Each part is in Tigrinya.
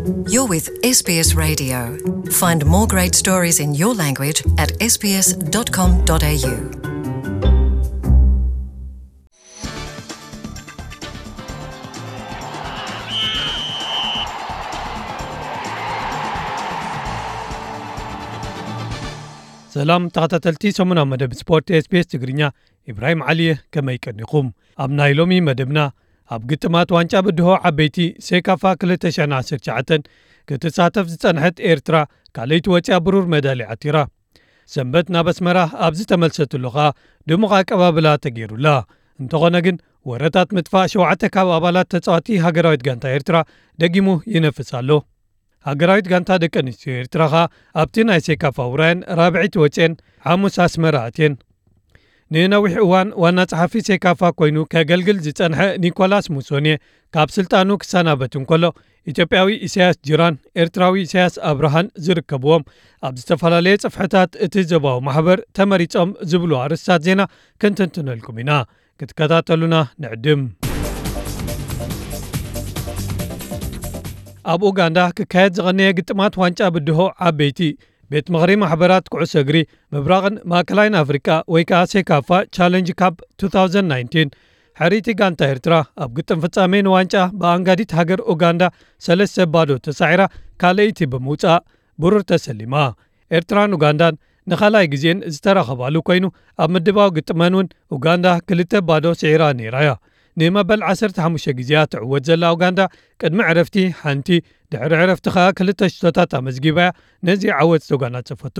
You're with S B S Radio. Find more great stories in your language at S B S dot com dot A U. ሰላም ተኸታተልቲ ሰሙናዊ መደብ ስፖርት S B S ትግርኛ፣ ኢብራሂም ዓሊ እየ። ከመይ ቀኒኹም? ኣብ ናይ ሎሚ መደብና፣ ኣብ ግጥማት ዋንጫ ብድሆ ዓበይቲ ሴካፋ ክልተ ሽሕን ዓሰርተ ትሽዓተን ክትሳተፍ ዝጸንሐት ኤርትራ ካልኣይቲ ወጺኣ ብሩር መዳልያ ዓቲራ። ሰንበት ናብ ኣስመራ ኣብ ዝተመልሰትሉ ኸኣ ድሙቕ ኣቀባብላ ተገይሩላ። እንተኾነ ግን ወረታት ምጥፋእ ሸውዓተ ካብ ኣባላት ተጻዋቲ ሃገራዊት ጋንታ ኤርትራ ደጊሙ ይነፍስ ኣሎ። ሃገራዊት ጋንታ ደቂ ኣንስትዮ ኤርትራ ኸኣ ኣብቲ ናይ ሴካፋ ውራየን ራብዒት ወጽኤን ሓሙስ ኣስመራ ኣትየን። ንነዊሕ እዋን ዋና ጸሓፊ ሴካፋ ኮይኑ ከገልግል ዝጸንሐ ኒኮላስ ሙሶኔ ካብ ስልጣኑ ክሰናበት እንከሎ፣ ኢትዮጵያዊ ኢሳያስ ጅራን ኤርትራዊ ኢሳያስ ኣብርሃን ዝርከብዎም ኣብ ዝተፈላለየ ጽፍሕታት እቲ ዞባዊ ማሕበር ተመሪጾም ዝብሉ ኣርእስታት ዜና ክንትንትነልኩም ኢና። ክትከታተሉና ንዕድም። ኣብ ኡጋንዳ ክካየድ ዝቐነየ ግጥማት ዋንጫ ብድሆ ዓበይቲ ቤት ምኽሪ ማሕበራት ኩዕሶ እግሪ ምብራቕን ማእከላይን ኣፍሪቃ ወይ ከኣ ሴካፋ ቻለንጅ ካፕ two thousand nineteen ሕሪቲ ጋንታ ኤርትራ ኣብ ግጥም ፍጻሜ ንዋንጫ ብኣንጋዲት ሃገር ኡጋንዳ ሰለስተ ባዶ ተሳዒራ ካልኣይቲ ብምውጻእ ብሩር ተሰሊማ። ኤርትራን ኡጋንዳን ንኻልኣይ ግዜን ዝተራኸባሉ ኮይኑ፣ ኣብ ምድባው ግጥመን እውን ኡጋንዳ ክልተ ባዶ ስዒራ ነይራ እያ። ንመበል ዓሰርተ ሓሙሽተ ግዜያ ትዕወት ዘላ ኡጋንዳ ቅድሚ ዕረፍቲ ሓንቲ፣ ድሕሪ ዕረፍቲ ኸኣ ክልተ ሽቶታት ኣመዝጊባ እያ ነዚ ዓወት ዘጓናጸፈቶ።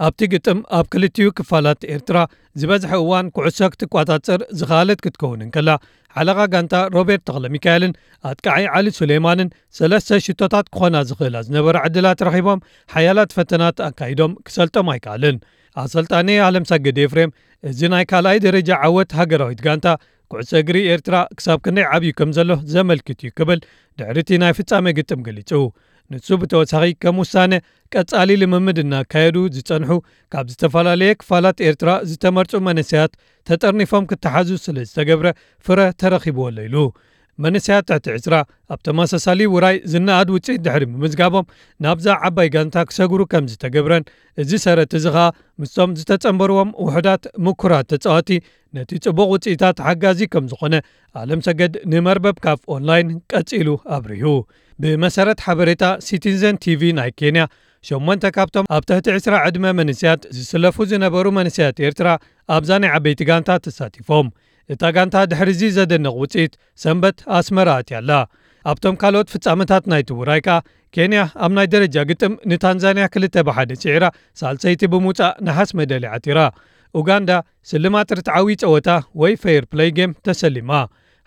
ኣብቲ ግጥም ኣብ ክልቲኡ ክፋላት ኤርትራ ዝበዝሐ እዋን ኩዕሶ ክትቋጻጸር ዝኸኣለት ክትከውን እንከላ፣ ሓለቓ ጋንታ ሮቤርት ተኽለሚካኤልን ኣጥቃዓይ ዓሊ ሱሌማንን ሰለስተ ሽቶታት ክኾና ዝኽእላ ዝነበራ ዕድላት ረኺቦም ሓያላት ፈተናት ኣካይዶም ክሰልጦም ኣይከኣልን። ኣሰልጣኒ ኣለምሰገድ ኤፍሬም፣ እዚ ናይ ካልኣይ ደረጃ ዓወት ሃገራዊት ጋንታ ኩዕሶ እግሪ ኤርትራ ክሳብ ክንደይ ዓብዩ ከም ዘሎ ዘመልክት እዩ ክብል ድሕሪቲ ናይ ፍጻሜ ግጥም ገሊጹ። ንሱ ብተወሳኺ ከም ውሳነ ቀጻሊ ልምምድ እናካየዱ ዝጸንሑ ካብ ዝተፈላለየ ክፋላት ኤርትራ ዝተመርጹ መንእሰያት ተጠርኒፎም ክተሓዙ ስለ ዝተገብረ ፍረ ተረኺብዎ ኣሎ ኢሉ። መንእሰያት ትሕቲ ዕስራ ኣብ ተመሳሳሊ ውራይ ዝነኣድ ውጽኢት ድሕሪ ምምዝጋቦም ናብዛ ዓባይ ጋንታ ክሰግሩ ከም ዝተገብረን፣ እዚ ሰረት እዚ ኸኣ ምስቶም ዝተጸንበርዎም ውሑዳት ምኩራት ተጻወቲ ነቲ ጽቡቕ ውጽኢታት ሓጋዚ ከም ዝኾነ ኣለምሰገድ ንመርበብ ካፍ ኦንላይን ቀጺሉ ኣብሪሁ። ብመሰረት ሓበሬታ ሲቲዘን ቲቪ ናይ ኬንያ፣ ሸሞንተ ካብቶም ኣብ ትሕቲ ዕስራ ዕድመ መንእሰያት ዝስለፉ ዝነበሩ መንእሰያት ኤርትራ ኣብዛ ናይ ዓበይቲ ጋንታ ተሳቲፎም። እታ ጋንታ ድሕሪ እዚ ዘደንቕ ውጽኢት ሰንበት ኣስመራ ኣትያ ኣላ። ኣብቶም ካልኦት ፍጻመታት ናይቲ ውራይ ከኣ ኬንያ ኣብ ናይ ደረጃ ግጥም ንታንዛንያ ክልተ ብሓደ ስዒራ ሳልሰይቲ ብምውጻእ ነሓስ መዳልያ ዓቲራ። ኡጋንዳ ስልማት ርትዓዊ ጸወታ ወይ ፌር ፕለይ ጌም ተሰሊማ።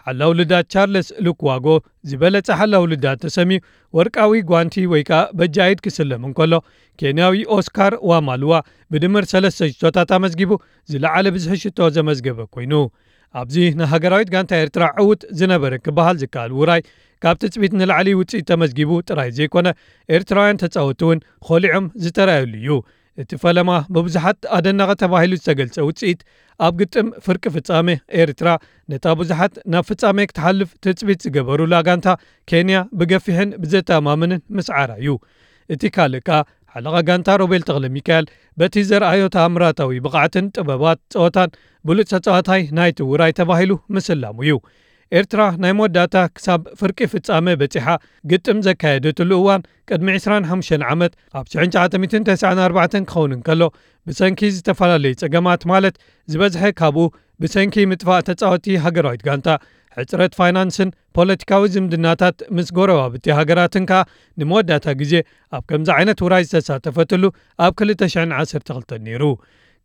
ሓላው ልዳት ቻርለስ ሉክዋጎ ዝበለጸ ሓላው ልዳት ተሰምዩ ወርቃዊ ጓንቲ ወይ ከኣ በጃ ኢድ ክስለም እንከሎ፣ ኬንያዊ ኦስካር ዋማልዋ ብድምር ሰለስተ ሽቶታት ኣመዝጊቡ ዝለዓለ ብዝሒ ሽቶ ዘመዝገበ ኮይኑ፣ ኣብዚ ንሃገራዊት ጋንታ ኤርትራ ዕዉት ዝነበረ ክበሃል ዝከኣል ውራይ ካብ ትጽቢት ንላዕሊ ውጽኢት ተመዝጊቡ ጥራይ ዘይኮነ፣ ኤርትራውያን ተጻወትቲ እውን ኾሊዖም ዝተራእየሉ እዩ። እቲ ፈለማ ብብዙሓት ኣደናቒ ተባሂሉ ዝተገልጸ ውጽኢት ኣብ ግጥም ፍርቂ ፍጻሜ ኤርትራ ነታ ብዙሓት ናብ ፍጻሜ ክትሓልፍ ትጽቢት ዝገበሩላ ጋንታ ኬንያ ብገፊሕን ብዘተኣማምንን ምስዓራ እዩ። እቲ ካልእ ከኣ ሓለቓ ጋንታ ሮቤል ተኽለ ሚካኤል በቲ ዘርኣዮ ተኣምራታዊ ብቕዓትን ጥበባት ጸወታን ብሉጽ ተጻዋታይ ናይቲ ውራይ ተባሂሉ ምስላሙ እዩ። ኤርትራ ናይ መወዳእታ ክሳብ ፍርቂ ፍጻመ በጺሓ ግጥም ዘካየደትሉ እዋን ቅድሚ ዕስራን ሓሙሽተን ዓመት ኣብ ሽሕን ትሽዓተ ሚእትን ተስዓን ኣርባዕተን ክኸውን እንከሎ፣ ብሰንኪ ዝተፈላለዩ ጸገማት ማለት ዝበዝሐ ካብኡ ብሰንኪ ምጥፋእ ተጻወቲ ሃገራዊት ጋንታ፣ ሕጽረት ፋይናንስን ፖለቲካዊ ዝምድናታት ምስ ጎረባብቲ ሃገራትን ከኣ ንመወዳእታ ግዜ ኣብ ከምዚ ዓይነት ውራይ ዝተሳተፈትሉ ኣብ ክልተ ሽሕን ዓሰርተ ክልተን ነይሩ።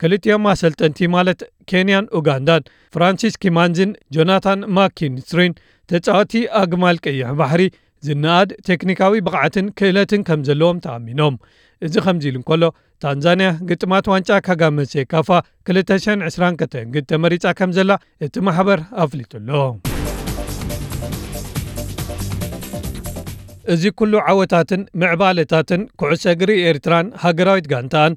ክልቲኦም ኣሰልጠንቲ ማለት ኬንያን ኡጋንዳን ፍራንሲስ ኪማንዝን ጆናታን ማኪንስትሪን ተጻወቲ ኣግማል ቀይሕ ባሕሪ ዝነኣድ ቴክኒካዊ ብቕዓትን ክእለትን ከም ዘለዎም ተኣሚኖም። እዚ ከምዚ ኢሉ እንከሎ፣ ታንዛንያ ግጥማት ዋንጫ ካጋመ ሴካፋ ክልተ ሽሕን ዕስራን ከተንግድ ተመሪጻ ከም ዘላ እቲ ማሕበር ኣፍሊጡ ኣሎ። እዚ ኩሉ ዓወታትን ምዕባለታትን ኩዕሶ እግሪ ኤርትራን ሃገራዊት ጋንታኣን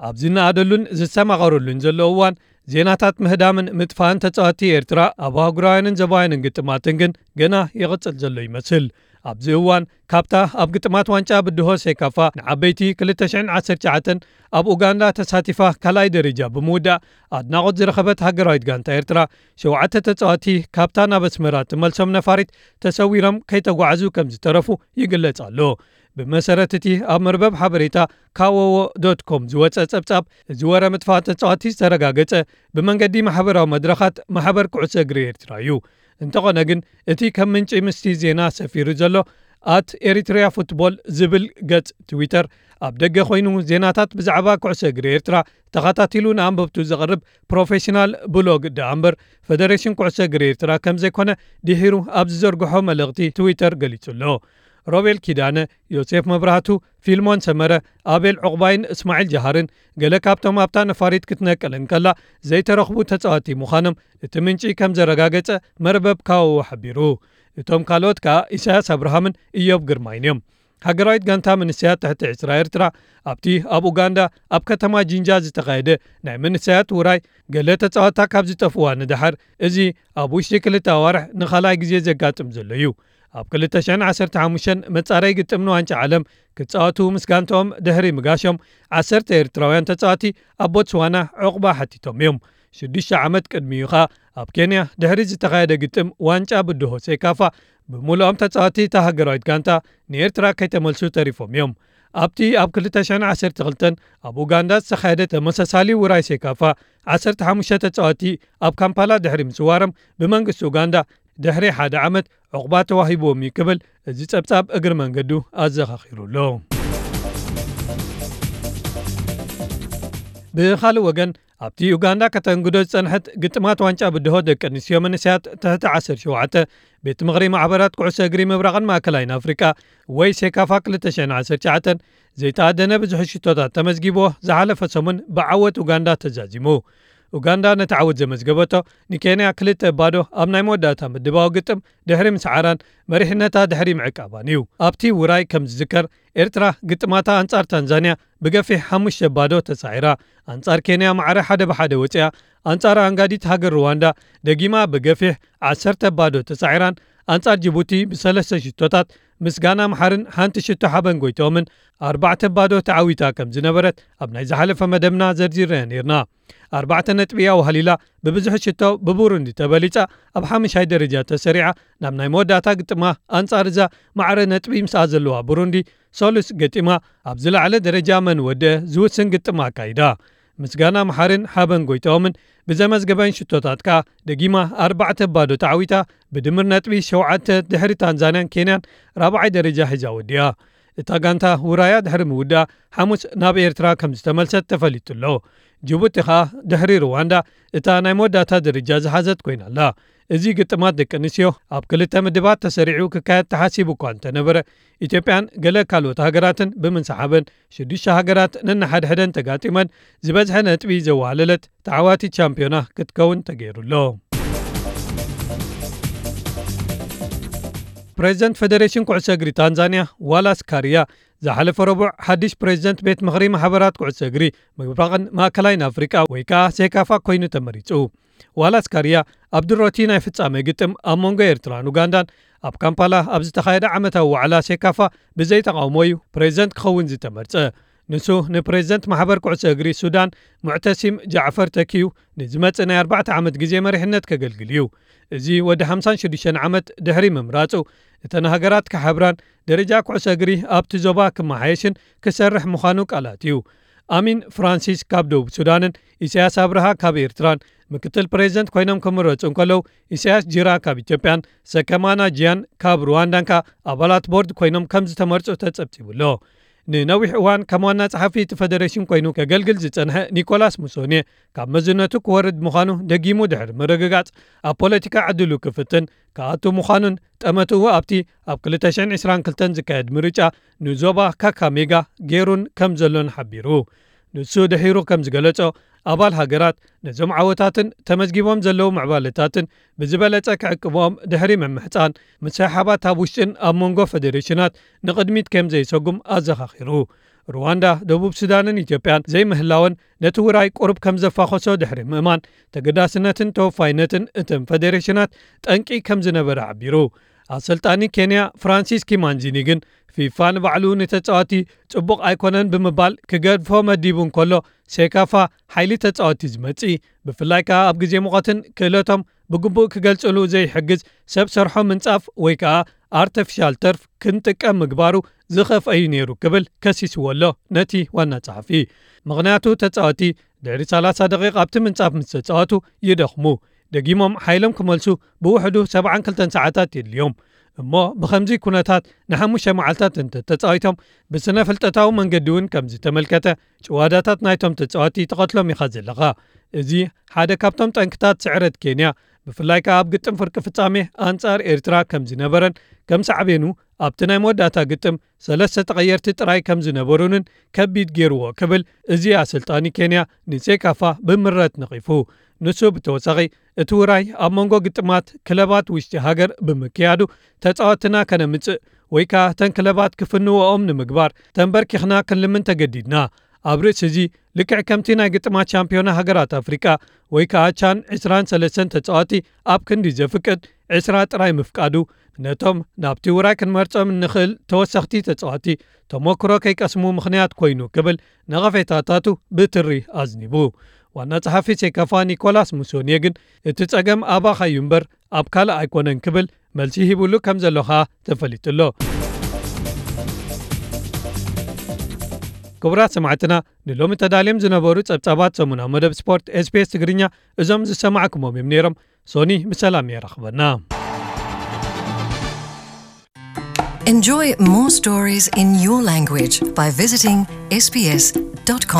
ኣብ ዝነኣደሉን ዝሰማቐረሉን ዘሎ እዋን፣ ዜናታት ምህዳምን ምጥፋእን ተጻወቲ ኤርትራ ኣብ ኣህጉራውያንን ዞባውያንን ግጥማትን ግን ገና ይቕጽል ዘሎ ይመስል። ኣብዚ እዋን ካብታ ኣብ ግጥማት ዋንጫ ብድሆ ሴካፋ ንዓበይቲ ክልተ ሽሕን ዓሰርተ ትሽዓተን ኣብ ኡጋንዳ ተሳቲፋ ካልኣይ ደረጃ ብምውዳእ ኣድናቖት ዝረኸበት ሃገራዊት ጋንታ ኤርትራ፣ ሸውዓተ ተጻወቲ ካብታ ናብ ኣስመራ ትመልሶም ነፋሪት ተሰዊሮም ከይተጓዓዙ ከም ዝተረፉ ይግለጽ ኣሎ። ብመሰረት እቲ ኣብ መርበብ ሓበሬታ ካወዎ ዶት ኮም ዝወጸ ጸብጻብ፣ እዚ ወረ ምጥፋእ ተጻወቲ ዝተረጋገጸ ብመንገዲ ማሕበራዊ መድረኻት ማሕበር ኩዕሶ እግሪ ኤርትራ እዩ። እንተኾነ ግን፣ እቲ ከም ምንጪ ምስቲ ዜና ሰፊሩ ዘሎ ኣት ኤሪትሪያ ፉትቦል ዝብል ገጽ ትዊተር፣ ኣብ ደገ ኮይኑ ዜናታት ብዛዕባ ኩዕሶ እግሪ ኤርትራ ተኸታቲሉ ንኣንበብቱ ዘቕርብ ፕሮፌሽናል ብሎግ ደኣ እምበር፣ ፈደሬሽን ኩዕሶ እግሪ ኤርትራ ከም ዘይኮነ ድሒሩ ኣብ ዝዘርግሖ መልእኽቲ ትዊተር ገሊጹ ኣሎ። ሮቤል ኪዳነ፣ ዮሴፍ መብራህቱ፣ ፊልሞን ሰመረ፣ ኣቤል ዑቕባይን እስማዒል ጀሃርን፣ ገለ ካብቶም ኣብታ ነፋሪት ክትነቅል እንከላ ዘይተረኽቡ ተጻወቲ ምዃኖም እቲ ምንጪ ከም ዘረጋገጸ መርበብ ካወዎ ሓቢሩ። እቶም ካልኦት ከኣ ኢሳያስ ኣብርሃምን እዮብ ግርማይን እዮም። ሃገራዊት ጋንታ መንእሰያት ትሕቲ ዕስራ ኤርትራ ኣብቲ ኣብ ኡጋንዳ ኣብ ከተማ ጂንጃ ዝተኻየደ ናይ መንእሰያት ውራይ፣ ገለ ተጻወታ ካብ ዝጠፍዋ ንደሓር፣ እዚ ኣብ ውሽጢ ክልተ ኣዋርሕ ንኻልኣይ ግዜ ዘጋጥም ዘሎ እዩ። ኣብ ክልተ ሽሕን ዓሰርተ ሓሙሽተን መጻረይ ግጥም ንዋንጫ ዓለም ክጻወቱ ምስ ጋንትኦም ድሕሪ ምጋሾም፣ ዓሰርተ ኤርትራውያን ተጻወቲ ኣብ ቦትስዋና ዕቑባ ሓቲቶም እዮም። ሽዱሽተ ዓመት ቅድሚኡ ኸኣ ኣብ ኬንያ ድሕሪ ዝተኻየደ ግጥም ዋንጫ ብድሆ ሴካፋ፣ ብምሉኦም ተጻወቲ እታ ሃገራዊት ጋንታ ንኤርትራ ከይተመልሱ ተሪፎም እዮም። ኣብቲ ኣብ ክልተ ሽሕን ዓሰርተ ክልተን ኣብ ኡጋንዳ ዝተኻየደ ተመሳሳሊ ውራይ ሴካፋ፣ ዓሰርተ ሓሙሽተ ተጻወቲ ኣብ ካምፓላ ድሕሪ ምስዋሮም ብመንግስቲ ኡጋንዳ ድሕሪ ሓደ ዓመት ዕቑባ ተዋሂብዎም እዩ ክብል እዚ ጸብጻብ እግሪ መንገዱ ኣዘኻኺሩ ኣሎ። ብኻልእ ወገን፣ ኣብቲ ኡጋንዳ ከተንግዶ ዝጸንሐት ግጥማት ዋንጫ ብድሆ ደቂ ኣንስትዮ መንእሰያት ትሕቲ ዓሰርተ ሸውዓተ፣ ቤት ምኽሪ ማሕበራት ኩዕሶ እግሪ ምብራቕን ማእከላይን ኣፍሪቃ ወይ ሴካፋ ክልተ ሽሕን ዓሰርተ ትሽዓተን ዘይተኣደነ ብዙሕ ሽቶታት ተመዝጊብዎ ዝሓለፈ ሰሙን ብዓወት ኡጋንዳ ተዛዚሙ። ኡጋንዳ ነቲ ዓወት ዘመዝገበቶ ንኬንያ ክልተ ባዶ ኣብ ናይ መወዳእታ ምድባዊ ግጥም ድሕሪ ምስዓራን መሪሕነታ ድሕሪ ምዕቃባን እዩ። ኣብቲ ውራይ ከም ዝዝከር፣ ኤርትራ ግጥማታ ኣንጻር ታንዛንያ ብገፊሕ ሓሙሽተ ባዶ ተሳዒራ፣ ኣንጻር ኬንያ ማዕረ ሓደ ብሓደ ወጺኣ፣ ኣንጻር ኣንጋዲት ሃገር ሩዋንዳ ደጊማ ብገፊሕ ዓሰርተ ባዶ ተሳዒራን ኣንጻር ጅቡቲ ብሰለስተ ሽቶታት ምስጋና መሓርን ሓንቲ ሽቶ ሓበን ጎይትኦምን ኣርባዕተ ባዶ ተዓዊታ ከም ዝነበረት ኣብ ናይ ዝሓለፈ መደብና ዘርዚርናዮ ነይርና። ኣርባዕተ ነጥቢ እያ ዋህሊላ፣ ብብዙሕ ሽቶ ብቡሩንዲ ተበሊጻ ኣብ ሓሙሻይ ደረጃ ተሰሪዓ፣ ናብ ናይ መወዳእታ ግጥማ ኣንጻር እዛ ማዕረ ነጥቢ ምስኣ ዘለዋ ቡሩንዲ ሰሉስ ገጢማ፣ ኣብ ዝለዓለ ደረጃ መን ወደአ ዝውስን ግጥማ ኣካይዳ። ምስጋና መሓርን ሓበን ጎይታኦምን ብዘመዝገበን ሽቶታት ከኣ ደጊማ ኣርባዕተ ባዶ ተዓዊታ፣ ብድምር ነጥቢ ሸውዓተ ድሕሪ ታንዛንያን ኬንያን ራብዓይ ደረጃ ሒዛ ወዲኣ። እታ ጋንታ ውራያ ድሕሪ ምውዳኣ ሓሙስ ናብ ኤርትራ ከም ዝተመልሰት ተፈሊጡ ኣሎ። ጅቡቲ ከኣ ድሕሪ ሩዋንዳ እታ ናይ መወዳእታ ደረጃ ዝሓዘት ኮይና ኣላ። እዚ ግጥማት ደቂ ኣንስትዮ ኣብ ክልተ ምድባት ተሰሪዑ ክካየድ ተሓሲቡ እኳ እንተነበረ፣ ኢትዮጵያን ገለ ካልኦት ሃገራትን ብምንስሓበን ሽዱሽተ ሃገራት ነንሓድሕደን ተጋጢመን ዝበዝሐ ነጥቢ ዘዋሃለለት ተዓዋቲት ሻምፒዮና ክትከውን ተገይሩ ኣሎ። ፕሬዚደንት ፌዴሬሽን ኩዕሶ እግሪ ታንዛንያ ዋላስ ካርያ ዝሓለፈ ረቡዕ ሓድሽ ፕሬዚደንት ቤት ምኽሪ ማሕበራት ኩዕሶ እግሪ ምብራቕን ማእከላይን ኣፍሪቃ ወይ ከኣ ሴካፋ ኮይኑ ተመሪጹ። ዋላስ ካርያ ኣብ ድሮቲ ናይ ፍጻመ ግጥም ኣብ መንጎ ኤርትራን ኡጋንዳን ኣብ ካምፓላ ኣብ ዝተኻየደ ዓመታዊ ዋዕላ ሴካፋ ብዘይ ተቓውሞ እዩ ፕሬዚደንት ክኸውን ዝተመርጸ። ንሱ ንፕሬዚደንት ማሕበር ኩዕሶ እግሪ ሱዳን ሙዕተሲም ጃዕፈር ተኪዩ ንዝመጽእ ናይ ኣርባዕተ ዓመት ግዜ መሪሕነት ከገልግል እዩ። እዚ ወዲ ሓምሳን ሽዱሽተን ዓመት ድሕሪ ምምራጹ፣ እተን ሃገራት ክሓብራን ደረጃ ኩዕሶ እግሪ ኣብቲ ዞባ ክመሓየሽን ክሰርሕ ምዃኑ ቃል ኣትዩ። ኣሚን ፍራንሲስ ካብ ደቡብ ሱዳንን ኢሳያስ ኣብርሃ ካብ ኤርትራን ምክትል ፕሬዚደንት ኮይኖም ክምረጹ እንከለዉ፣ ኢሳያስ ጂራ ካብ ኢትዮጵያን ሰከማና ጂያን ካብ ሩዋንዳን ከኣ ኣባላት ቦርድ ኮይኖም ከም ዝተመርጹ ተጸብጺቡ ኣሎ። ንነዊሕ እዋን ከም ዋና ጸሓፊ እቲ ፈደሬሽን ኮይኑ ከገልግል ዝጸንሐ ኒኮላስ ሙሶኔ፣ ካብ መዝነቱ ክወርድ ምዃኑ ደጊሙ ድሕሪ ምርግጋጽ፣ ኣብ ፖለቲካ ዕድሉ ክፍትን ክኣቱ ምዃኑን ጠመትኡ ኣብቲ ኣብ ክልተ ሽሕን ዕስራን ክልተን ዝካየድ ምርጫ ንዞባ ካካሜጋ ገይሩን ከም ዘሎን ሓቢሩ። ንሱ ድሒሩ ከም ዝገለጾ፣ ኣባል ሃገራት ነዞም ዓወታትን ተመዝጊቦም ዘለዉ ምዕባለታትን ብዝበለጸ ክዕቅብኦም ድሕሪ ምምሕጻን፣ ምስሕሓባት ኣብ ውሽጥን ኣብ መንጎ ፈደሬሽናት ንቕድሚት ከም ዘይሰጉም ኣዘኻኺሩ። ሩዋንዳ፣ ደቡብ ሱዳንን ኢትዮጵያን ዘይምህላወን ነቲ ውራይ ቁሩብ ከም ዘፋኾሶ ድሕሪ ምእማን፣ ተገዳስነትን ተወፋይነትን እተን ፈደሬሽናት ጠንቂ ከም ዝነበረ ሓቢሩ። ኣሰልጣኒ ኬንያ ፍራንሲስ ኪማንዚኒ ግን ፊፋ ንባዕሉ ንተጻዋቲ ጽቡቕ ኣይኮነን ብምባል ክገድፎ መዲቡ እንከሎ፣ ሴካፋ ሓይሊ ተጻዋቲ ዝመጽኢ፣ ብፍላይ ከኣ ኣብ ግዜ ሙቐትን ክእለቶም ብግቡእ ክገልጽሉ ዘይሕግዝ ሰብ ሰርሖ ምንጻፍ ወይ ከኣ ኣርቲፊሻል ተርፍ ክንጥቀም ምግባሩ ዝኸፍአ እዩ ነይሩ ክብል ከሲስዎ ኣሎ ነቲ ዋና ጸሓፊ። ምኽንያቱ ተጻዋቲ ድሕሪ ሰላሳ ደቂቕ ኣብቲ ምንጻፍ ምስ ተጻወቱ ይደኽሙ። ደጊሞም ሓይሎም ክመልሱ ብውሕዱ ሰብዓን ክልተን ሰዓታት የድልዮም። እሞ ብኸምዚ ኩነታት ንሓሙሽተ መዓልታት እንተ ተጻዊቶም ብስነ ፍልጠታዊ መንገዲ እውን ከም ዝተመልከተ ጭዋዳታት ናይቶም ተጻወቲ ተቐትሎም ኢኻ ዘለኻ። እዚ ሓደ ካብቶም ጠንክታት ስዕረት ኬንያ፣ ብፍላይ ከኣ ኣብ ግጥም ፍርቂ ፍጻሜ ኣንጻር ኤርትራ ከም ዝነበረን ከም ሳዕቤኑ ኣብቲ ናይ መወዳእታ ግጥም ሰለስተ ተቐየርቲ ጥራይ ከም ዝነበሩንን ከቢድ ገይርዎ ክብል እዚ ኣሰልጣኒ ኬንያ ንሴካፋ ብምረት ነቒፉ። ንሱ ብተወሳኺ እቲ ውራይ ኣብ መንጎ ግጥማት ክለባት ውሽጢ ሃገር ብምክያዱ ተጻወትና ከነምጽእ ወይ ከኣ እተን ክለባት ክፍንዎኦም ንምግባር ተንበርኪኽና ክንልምን ተገዲድና። ኣብ ርእሲ እዚ ልክዕ ከምቲ ናይ ግጥማት ሻምፒዮና ሃገራት ኣፍሪቃ ወይ ከኣ ቻን ዕስራን ሰለስተን ተጻዋቲ ኣብ ክንዲ ዘፍቅድ ዕስራ ጥራይ ምፍቃዱ ነቶም ናብቲ ውራይ ክንመርጾም እንኽእል ተወሰኽቲ ተጻዋቲ ተሞክሮ ከይቀስሙ ምኽንያት ኮይኑ ክብል ነቐፌታታቱ ብትሪ ኣዝኒቡ። ዋና ጸሓፊ ሴካፋ ኒኮላስ ሙሶንየ ግን እቲ ጸገም ኣባኻ እዩ እምበር ኣብ ካልእ ኣይኮነን ክብል መልሲ ሂቡሉ ከም ዘሎ ኸኣ ተፈሊጡ ኣሎ። ክቡራት ሰማዕትና፣ ንሎሚ ተዳልዮም ዝነበሩ ጸብጻባት ሰሙናዊ መደብ ስፖርት ኤስቢኤስ ትግርኛ እዞም ዝሰማዕኩሞም እዮም ነይሮም። ሶኒ ብሰላም የራኽበና። Enjoy more stories in your language by visiting sbs.com.au.